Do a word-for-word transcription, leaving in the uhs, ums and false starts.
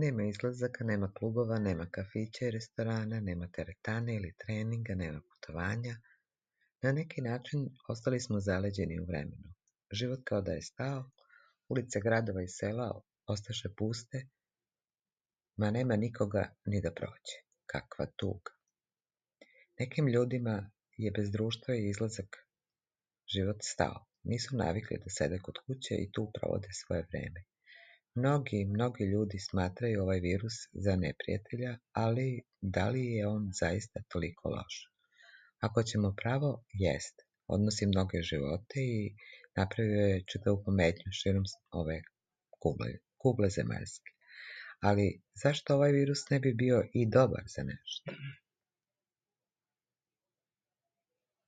Nema izlazaka, nema klubova, nema kafića i restorana, nema teretane ili treninga, nema putovanja. Na neki način ostali smo zaleđeni u vremenu. Život kao da je stao, ulice gradova i sela ostaše puste, ma nema nikoga ni da prođe. Kakva tuga. Nekim ljudima je bez društva i izlazak život stao. Nisu navikli da sede kod kuće i tu provode svoje vreme. Mnogi, mnogi ljudi smatraju ovaj virus za neprijatelja, ali da li je on zaista toliko loš? Ako ćemo pravo, jest. Odnosi mnoge živote i napravio je čitavu pometnju širom ove kugle, kugle zemaljske. Ali zašto ovaj virus ne bi bio i dobar za nešto?